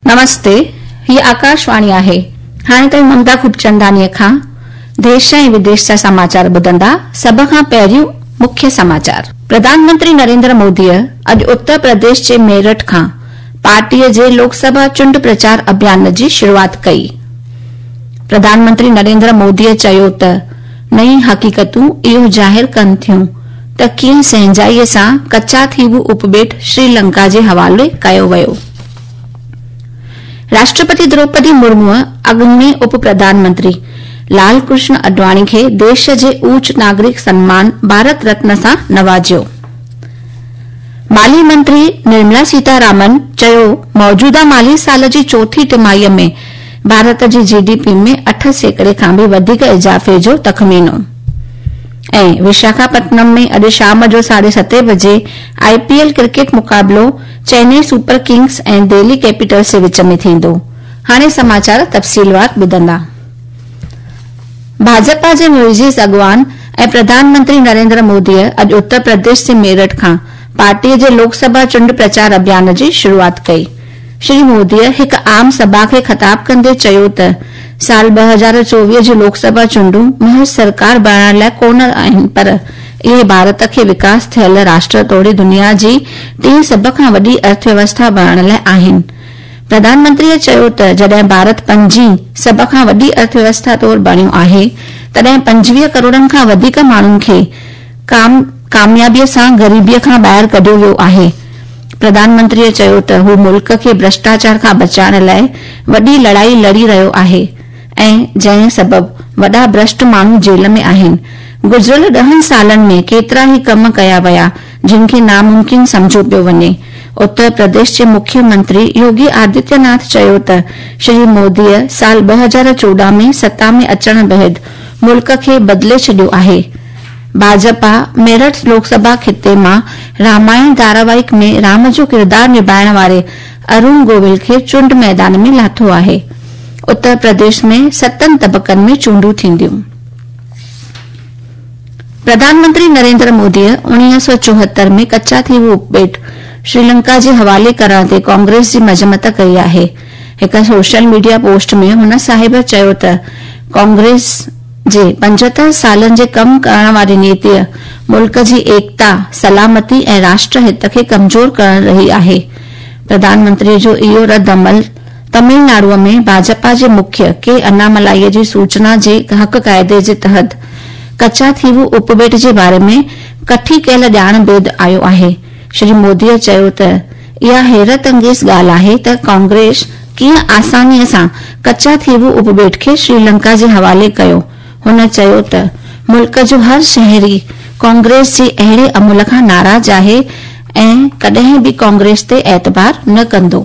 نمستي، هيء آڪاشواڻي آهي. هاڻي توهين ممتا خوبچنداڻيء کان ديش ۽ وديش جا سماچار ٻڌندا. سڀ کان پهريون مکيه سماچار. پرڌان منتري نريندر موديء اڄ اتر پرديش جي ميرٺ کان پارٽيء جي لوڪ سڀا چونڊ پرچار اڀيان جي شروعات ڪئي. پرڌان منتري نريندر موديء چيو ته نئين حقيقتون اهو ظاهر ڪن ٿيون ته ڪيئن سهنجائيء سان ڪچا ٿيوو اپٻيٽ شري لنڪا جي حوالي ڪيو ويو. راشٽرپتي دروپدي مرموء اڳوڻي اپ پرڌان منتري لال ڪرشن اڊواڻي کي ديش جي اوچ ناگرڪ سنمان ڀارت رتن سان نوازيو. مالي منتري نرملا سيتا رامن چيو موجوده مالي سال جي چوٿين ٽماهيء ۾ ڀارت جي جي ڊي پي ۾ 8% کان به وڌيڪ اضافي جو تخمينو. ۽ وشاکاپٽنم ۾ اڄ شام جو ساڍي ستين بجي آء پي ايل ڪرڪيٽ مقابلو Chennai super Kings ۽ Delhi Capitals جي وچ ۾ ٿيندو. هاڻي سماچار تفصيلوار ٻڌندا. ڀاجپا جي معزز اڳواڻ ۽ پرڌان منتري نريندر موديء اڄ اتر پرديش جي ميرٺ کان پارٽيء جي لوڪ سڀا چونڊ پرچار اڀيان جي شروعات ڪئي. شري موديء هڪ عام سڀا کي خطاب ڪندي چيو ته سال 2024 جون لوڪ سڀا چونڊون محض سرڪار بڻائڻ لاء ڪونه آهن پر اهي ڀارت کي وڪاس ٿيل راشٽر توڙي دنيا جي ٽين سڀ کان وڏي ارٿويوسٿا بڻائڻ لاء آهن. پرڌان منتريء چيو ته جڏهن ڀارت پنجين سڀ کان وڏي ارٿويوسٿا طور بڻيو آهي تڏهن 25 ڪروڙن کان وڌيڪ ماڻهن کي ڪاميابيء سان غريبيء کان ٻاهر ڪڍيو ويو آهي. پرڌان منتريء چيو ته هو ملڪ کي ڀرشٽاچار کان بچائڻ لاء وڏي لڙائي لڙي رهيو آهي ۽ جنهن سبب وڏا ڀرشٽ ماڻهو جيل ۾ آهن. گذريل ڏهن سالن ۾ ڪيترا ئي ڪم ڪيا ويا جن کي ناممڪن سمجهيو پيو وڃي. اتر پرديش جي مکيه منتري يوگي آدتيه ناٿ چيو ته شري موديء سال 2014 ۾ ستا ۾ اچڻ بعد ملڪ کي بدلي ڇڏيو آهي. ڀاجپا ميرٺ لوڪ سڀا خطي مان رامائڻ ڌاراواهڪ ۾ رام جو ڪردار نڀائڻ واري ارون گوويل کي چونڊ ميدان ۾ لاٿو آهي. اتر پرديش ۾ ستن طبقن ۾ چونڊون ٿينديون. پرڌان منتري نريندر موديء 1974 ۾ ڪچا ٿيوو اپٻيٽ شريلنڪا جي حوالي ڪرڻ تي ڪانگريس جي مذمت ڪئي آهي. هڪ سوشل ميڊيا پوسٽ ۾ هن صاحب چيو ته ڪانگريس جي 75 سالن جي ڪم ڪرڻ واري نيتيء ملڪ جي ايڪتا، سلامتي ۽ راشٽر هت کي ڪمزور ڪرڻ رهي آهي. پرڌان منتريء جو اهو رد عمل تمل ناڊوء ۾ ڀاجپا جي مکيه ڪي اناملائيء جي سوچنا جي حق قاعدي جي تحت ڪچا ٿيوو اپٻيٽ جي باري ۾ ڪٺي ڪيل ڄاڻ بعد آيو آهي. شري موديء چيو ته اها حيرت انگيز ڳالهه آهي ته ڪانگريس ڪيئن آسانيء سان ڪچا ٿيوو اپٻيٽ کي شري لنڪا جي حوالي ڪيو. هن چيو ته ملڪ جو هر شهري ڪانگريس جي اهڙي عمل کان ناراض آهي ۽ ڪڏهن به ڪانگريس تي اعتبار نه ڪندو.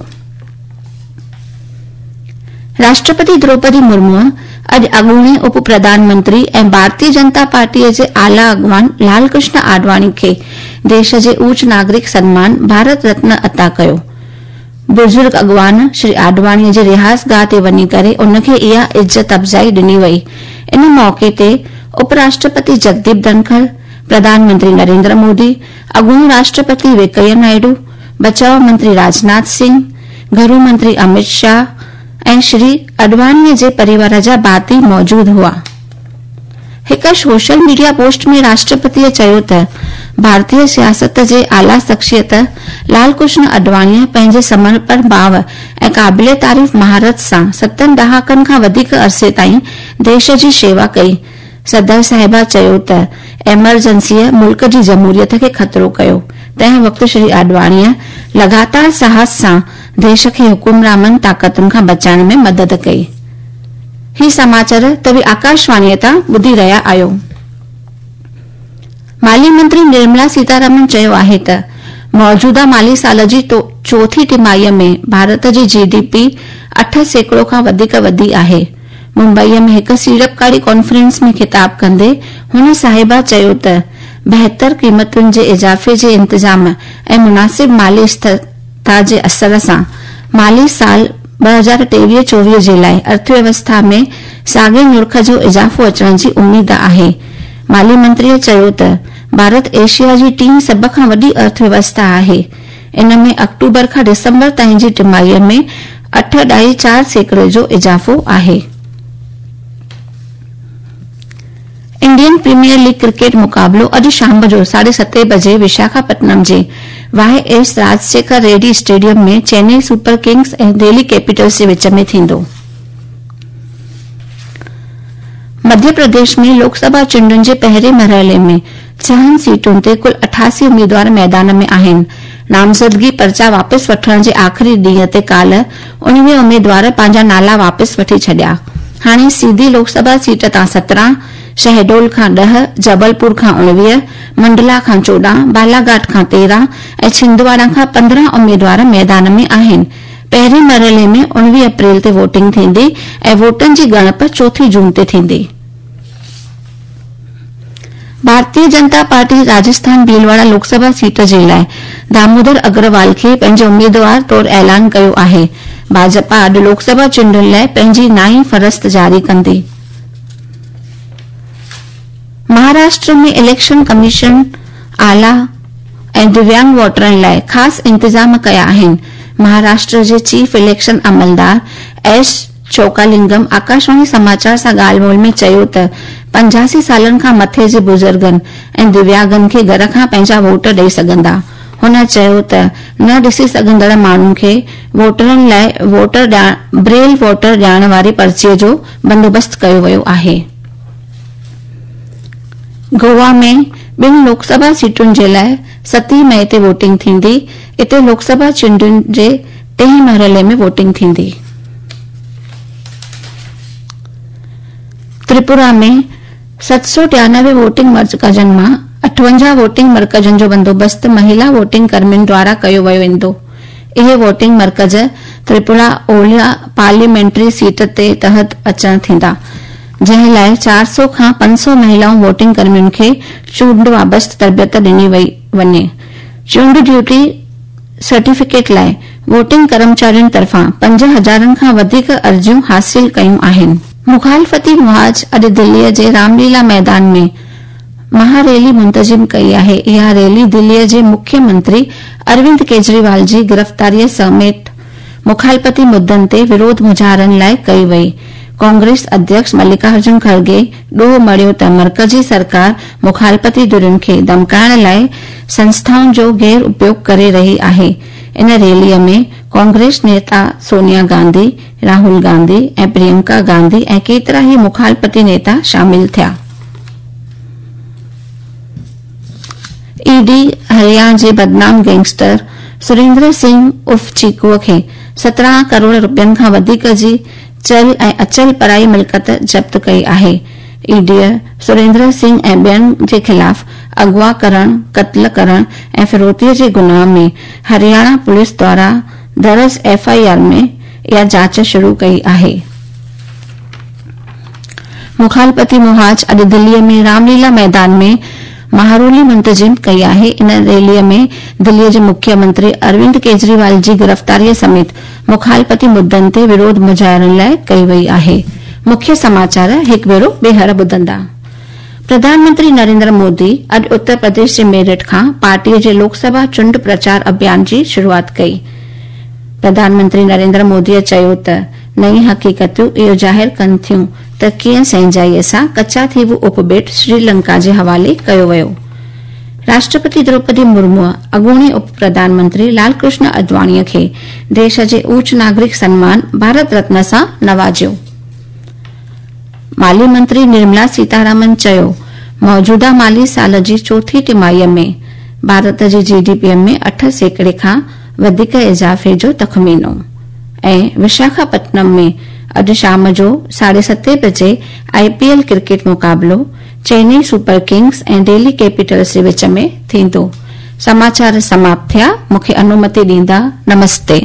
راشٽرپتي دروپدي مرموء اڄ اڳوڻي اپ پرڌان منتري ۽ ڀارتيه جنتا پارٽيء جي اعليٰ اڳواڻ لال ڪرشن آڏواڻي کي ديش جي اوچ ناگرڪ سنمان ڀارت رتن عطا ڪيو. بزرگ اڳواڻ شري آڏواڻيء جي رهائش گاهه تي وڃي ڪري ان کي اها عزت افزائي ڏني وئي. ان موقعي تي اپ راشٽرپتي جگديپ ڌنکڙ، پرڌان منتري نريندر مودي، اڳوڻو راشٽرپتي وينڪيا نائيڊو، بچاء منتري راجناٿ سنگهه، گهرو منتري امت شاهه ۽ شري اڏواڻيء جي پريوار جا ڀاتي موجود هئا. هڪ سوشل ميڊيا پوسٽ ۾ راشٽرپتيء چيو ته ڀارتي سياست جي اعليٰ شخصيت لال ڪرشن اڏواڻيء پنهنجي سمرپڻ ڀاو ۽ قابل تعريف مهارت سان ستن ڏهاڪن کان وڌيڪ عرصي تائين ديش جي شيوا ڪئي. صدر صاحبه چيو ته ايمرجنسيء ملڪ جي جمهوريت کي خطرو ڪيو، تنهن وقت شري آڏواڻيء لڳاتار ساهس سان ديش کي حڪمرامن طاقتن کان بچائڻ ۾ مدد ڪئي. هي سماچر توهين آڪاشواڻيء تان ٻڌي رهيا آهيو. مالي منتري نرملا سيتارامن چيو آهي ته موجوده مالي سال جي چوٿين ٽماهيء ۾ ڀارت جي جي ڊي پي 8% کان وڌيڪ وڌي آهي. ممبئيء ۾ هڪ سيڙپڪاري ڪانفرنس ۾ خطاب ڪندي هن صاحبه چيو ته بهتر قيمتن جي اضافي جي انتظام ۽ مناسب مالي اسٿرتا جي اثر سان مالي سال 2023 24 جي لاء ارٿويوسٿا ۾ ساڳئي نرخ جو اضافو اچڻ جي اميد آهي. مالي منتريء چيو ته ڀارت ايشيا جي ٽين سڀ کان وڏي ارٿويوسٿا آهي. ان ۾ آڪٽوبر کان ڊسمبر تائين جي ٽماهيء ۾ 8.4% جو اضافو آهي. انڊين پريميئر ليگ ڪرڪيٽ مقابلو اڄ شام جو 7:30 بجي وشاکاپٽنم جي Y S Rajasekhara Reddy stadium ۾ Chennai super kings ۽ Delhi capitals جي وچ ۾ ٿيندو. مڌيه پرديش ۾ لوڪ سڀا چونڊن جي پهرين مرحلي ۾ ڇهن سيٽن تي ڪل 88 اميدوار ميدان ۾ آهن. نامزدگي پرچا واپس وٺڻ جي آخري ڏينهن تي ڪالهه 19 اميدوار پنهنجا نالا واپس وٺي ڇڏيا. هاڻي سيڌي لوڪ سڀا سيٽ تان 17، شهڊول کان 10، جبلپور کان 19، منڊلا کان 14، بالاگهاٽ کان 13 ۽ ڇندواڙا کان 15 اميدوار ميدان ۾ آهن. پهرين مرحلي ۾ 19 اپريل تي ووٽنگ ٿيندي ۽ ووٽن جي ڳڻپ چوٿين جون تي ٿيندي. ڀارتيه جنتا پارٽي راجسٿان ڀيلواڙا لوڪ سڀا سيٽ جي لاء دامودر اگروال کي پنهنجي اميدوار طور اعلان ڪيو آهي. ڀاجپا اڄ لوڪ سڀا چونڊن لاء پنهنجي نائين فهرست جاري ڪندي. مهاراشٽر ۾ اليڪشن ڪميشن اعليٰ ۽ دويانگ ووٽرن لاء خاص انتظام ڪيا آهن. مهاراشٽر جي چيف اليڪشن عملدار ايس چوڪالنگم آڪاشواڻي سماچار سان ڳالهه ٻولهه ۾ چيو ته 85 سالن کان مٿي جي بزرگن ۽ دويانگن کي گهر کان پنهنجا ووٽ ڏئي سگهندا. هن چيو ته نه ڏسي سگهندڙ ماڻهن کي ووٽرن لاء ووٽر بريل ووٽر ڏيڻ واري پرچي جو بندوبست ڪيو ويو آهي. گوا ۾ ٻن لوڪ سڀا سيٽن جي لاء 7 مئي تي ووٽنگ ٿيندي. اتي لوڪ سڀا چونڊن جي ٽئين مرحلي ۾ ووٽنگ ٿيندي. تريپورا ۾ 793 ووٽنگ مرڪزن مان 58 ووٽنگ مرڪزن جو بندوبست مهلا ووٽنگ ڪرمين دوارا ڪيو ويندو. اهي ووٽنگ مرڪز تريپورا اولهه پارليامينٽري سيٽ تي تحت اچڻ ٿيندا، جنهن لاء 400 کان 500 مهلائون ووٽنگ ڪرمين کي چونڊ وابسته تربيت ڏني وڃي. چونڊ ڊيوٽي سرٽيفڪيٽ لاء ووٽنگ ڪرمچارين طرفان 5 هزارن کان وڌيڪ عرضيون حاصل ڪيون آهن. مخالفتي محاذ اڄ دليء جي رام ليلا ميدان ۾ مها ريلي منتظم ڪئي آهي. اها ريلي دليء جي مکيه منتري اروند ڪيجريوال جي گرفتاريء سميت مخالفتي مدن تي وروڌ مظاهرن لاء ڪئي وئي. ڪانگريس اڌيڪش ملڪارجن کرگي ڏوهه مڙهيو ته مرڪزي سرڪار مخالفتي ڌرين کي ڌمڪائڻ لاء سنسٿائن جو غير اپيوگ ڪري رهي آهي. ان ريليء ۾ ڪانگريس نيتا سونيا گانڌي، راهول گانڌي ۽ پريانڪا گانڌي ۽ ڪيترا ئي مخالفتي نيتا شامل ٿيا. اي ڊي هرياڻا جي بدنام گينگسٽر سريندر سنگهه عرف چيڪوء کي 17 ڪروڙ رپين کان وڌيڪ جي چل ۽ اچل پرائي ملڪيت ضبط ڪئي آهي. اي ڊيء سريندر سنگهه ۽ ٻين جي خلاف اغوا ڪرڻ، قتل ڪرڻ ۽ ڦروتيء جي گناهه ۾ هرياڻا پوليس دوارا درج ايف I R ۾ اها جاچ شروع ڪئي آهي. مخالفتي محاذ اڄ دليء ۾ رام ليلا ميدان ۾ مهارولي منتظم ڪئي آهي. ان ريليء ۾ دليء جي مکيه منتري اروند ڪيجريوال جي گرفتاريء سميت مخالفتي مدن تي وروڌ مظاهرن لاء ڪئي وئي آهي. مکيه سماچار هڪ ڀيرو ٻيهر ٻڌندا. پرڌان منتري نريندر مودي اڄ اتر پرديش جي ميرٺ کان پارٽيء جي لوڪ سڀا چونڊ پرچار اڀيان جي شروعات ڪئي. پرڌان منتري نريندر موديء چيو ته نئين حقيقتون اهو ظاهر ڪن ٿيون ته ڪيئن سهنجائيء سان ڪچا ٿيوو اپٻيٽ سري لنڪا جي حوالي ڪيو ويو. راشٽرپتي دروپدي مرموء اڳوڻي اپ پرڌان منتري لال ڪرشن اڊواڻيء کي ديش جي اوچ ناگرڪ سنمان ڀارت رتن سان نوازيو. مالي منتري نرملا سيتارامن چيو موجوده مالي سال جي چوٿين ٽماهيء ۾ ڀارت جي جي ڊي پيء ۾ 8% کان وڌيڪ اضافي جو تخمينو ۽ وشاکاپٽنم ۾ اڄ شام جو 7:30 بجي آء پي ايل ڪرڪيٽ مقابلو Chennai super Kings ۽ daily Capitals جي وچ ۾ ٿيندو. سماچار سماپت ٿيا. مون کي انومتي ڏيندا. نمستي.